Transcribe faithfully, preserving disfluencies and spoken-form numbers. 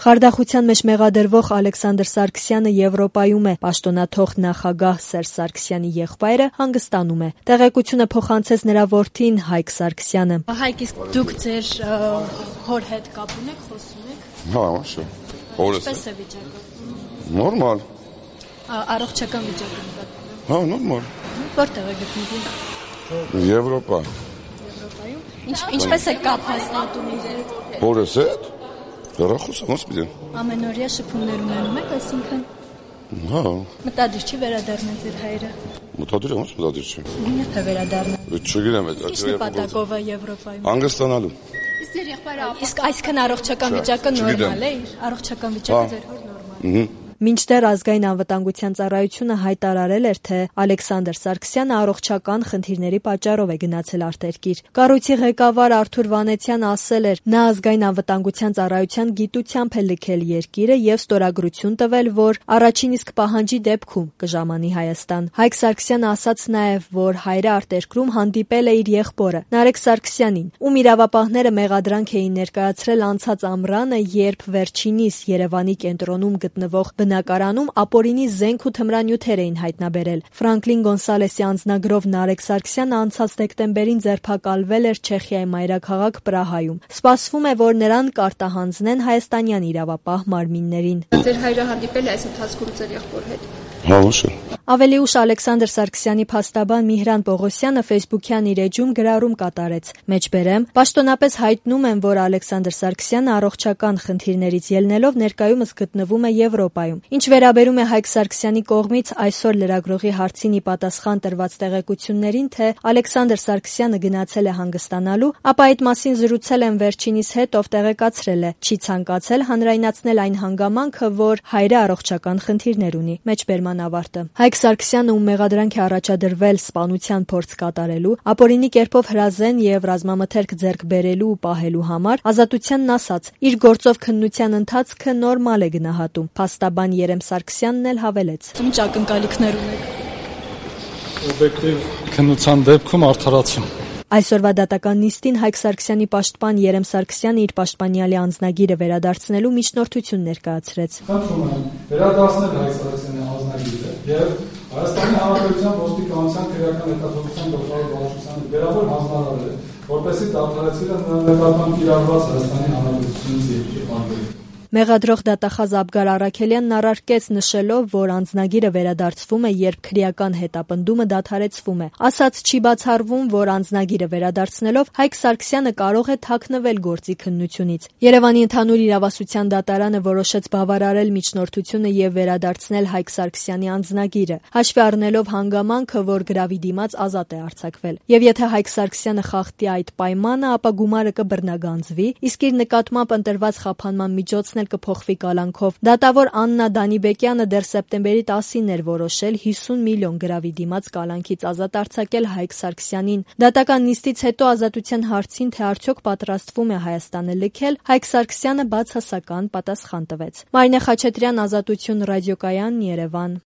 Խարդախության մեջ մեղադրվող Ալեքսանդր Սարգսյանը Եվրոպայում է, պաշտոնաթող նախագահ Սերժ Սարգսյանի եղբայրը հանգստանում է։ Տեղեկությունը փոխանցեց նրա որդին Հայկ Սարգսյանը։ Հայկ, իսկ դուք ձեր հոր հետ կապ ունեք, խոսում եք։ Հա, շո։ Ինչպես է վիճակը։ Նորմալ։ Առողջական վիճակը նկատվում է։ Հա, նորմալ։ Որտեղ է գտնվում։ Եվրոպա։ Եվրոպայում։ Ինչպես է կապ հաստատում իր հետ։ Հորս հետ։ Հեռախոս ոնց պիտի։ Ամենօրյա շփումներ ունենում եք, այսինքն։ Հա։ Մտադիր չի վերադառնալ ձեր հայրը։ Մտադիր ոնց մտադիր չի։ Երբ է վերադառնալ։ Չգիտեմ, այդ Ինչ նպատակով է Եվրոպայում։ Հանգստանալու։ Իսկ ձեր եղբայրը իսկ այսքան առողջական վիճակը նորմալ է, առողջական վիճակը ձեր հոր նորմալ է։ Մինչդեռ ազգային անվտանգության ծառայությունը հայտարարել էր, թե Ալեքսանդր Սարգսյանը առողջական խնդիրների պատճառով է գնացել արտերկիր։ Կառույցի ղեկավար Արթուր Վանեցյանը ասել էր, նա ազգային անվտանգության ծառայության գիտությամբ է լքել երկիրը եւ ստորագրություն տվել, որ առաջին իսկ պահանջի դեպքում կժամանի Հայաստան։ Հայկ Սարգսյանը ասաց նաեւ, որ հայրը արտերկրում հանդիպել է իր եղբորը Նարեկ Սարգսյանին, ում իրավապահները մեղադրանք էին ներկայացրել անցած ամռանը, երբ վերջինիս Երևանի կենտրոնում գտնվող բնակարանում ապօրինի զենք ու թմրանյութեր էին հայտնաբերել։ Ֆրանկլին Գոնսալեսի անձնագրով Նարեկ Սարգսյանը անցած դեկտեմբերին ձերբակալվել էր Չեխիայի մայրաքաղաք Պրահայում։ Սպասվում է, որ նրան կարտահանձնեն հայաստանյան իրավապահ մարմիններին։ Ձեր հայրը հանդիպել է այս ընթացքում ձեր եղբոր հետ։ Հա, ոչ։ Ավելի ուշ Ալեքսանդր Սարգսյանի փաստաբան Միհրան Պողոսյանը Facebook-յան իր էջում գրառում կատարեց. Մեջբերեմ, պաշտոնապես հայտնում եմ, որ Ալեքսանդր Սարգսյանը առողջական խնդիրներից ելնելով ներկայումս գտնվում է Եվրոպայում։ Ինչ վերաբերում է Հայկ Սարգսյանի կողմից այսօր լրագրողի հարցին ի պատասխան տրված տեղեկություններին, թե Ալեքսանդր Սարգսյանը գնացել է հանգստանալու, ապա այդ մասին զրուցել եմ վերջինիս հետ, ով տեղեկացրել է, չի ցանկացել հանրայնացնել այն հանգամանքը, որ հայրը առողջական խնդիրներ ունի։ Մեջբերման ավարտը։ Հայկ Սարգսյանը, ում մեղադրանք է առաջադրվել սպանության փորձ կատարելու, ապօրինի կերպով հրազեն եւ ռազմամթերք ձեռք բերելու ու պահելու համար, ազատությանն ասաց, իր գործով քննության ընթացքը նորմալ է գնահատում։ Փաստաբան Երեմ Սարգսյանն էլ հավելեց. Ինչ ակնկալիքներ ունեք։ Օբյեկտիվ քննության դեպքում արդարացում։ Այսօրվա դատական նիստին Հայկ Սարգսյանի պաշտպան Երեմ Սարգսյանը իր պաշտպանյալի անձնագիրը վերադարձնելու միջնորդություն ներկայացրեց։ Խնդրում եմ վերադարձնել Հայկ Սարգսյանի անձնագիրը եւ Հայաստանի Հանրապետության ոստիկանության քրեական հետազոտության գլխավոր վարչության վերաբեր հանձնարարել, որպեսզի դադարեցվի նկատմամբ կիրառված Հայաստանի Հանրապետությունից երկրի բանջարի։ Մեղադրող դատախազ Աբգար Առաքելյանն առարկեց նշելով, որ անձնագիրը վերադարձվում է, երբ քրեական հետապնդումը դադարեցվում է։ Ասաց չի բացառվում, որ անձնագիրը վերադարձնելով Հայկ Սարգսյանը կարող է թաքնվել գործի քննությունից։ Երևանի ընդհանուր իրավասության դատարանը որոշեց բավարարել միջնորդությունը եւ վերադարձնել Հայկ Սարգսյանի անձնագիրը, հաշվի առնելով հանգամանքը, որ գրավի դիմաց ազատ է արձակվել։ Եվ եթե Հայկ Սարգսյանը խախտի այդ պայմանը, ապա գումարը կբռնագանձվի, իսկ իր նկատմամբ ընտրված խափանման միջոցն կփոխվի կալանքով։ Դատավոր Աննա Դանիբեկյանը դեռ սեպտեմբերի տասին էր որոշել հիսուն միլիոն գրավի դիմաց կալանքից ազատ արձակել Հայկ Սարգսյանին։ Դատական նիստից հետո ազատության հարցին, թե արդյոք պատրաստվում է Հայաստանը լքել, Հայկ Սարգսյանը բացասական պատասխան տվեց։ Մարինե Խաչատրյան, Ազատություն ռադիոկայան, Երևան։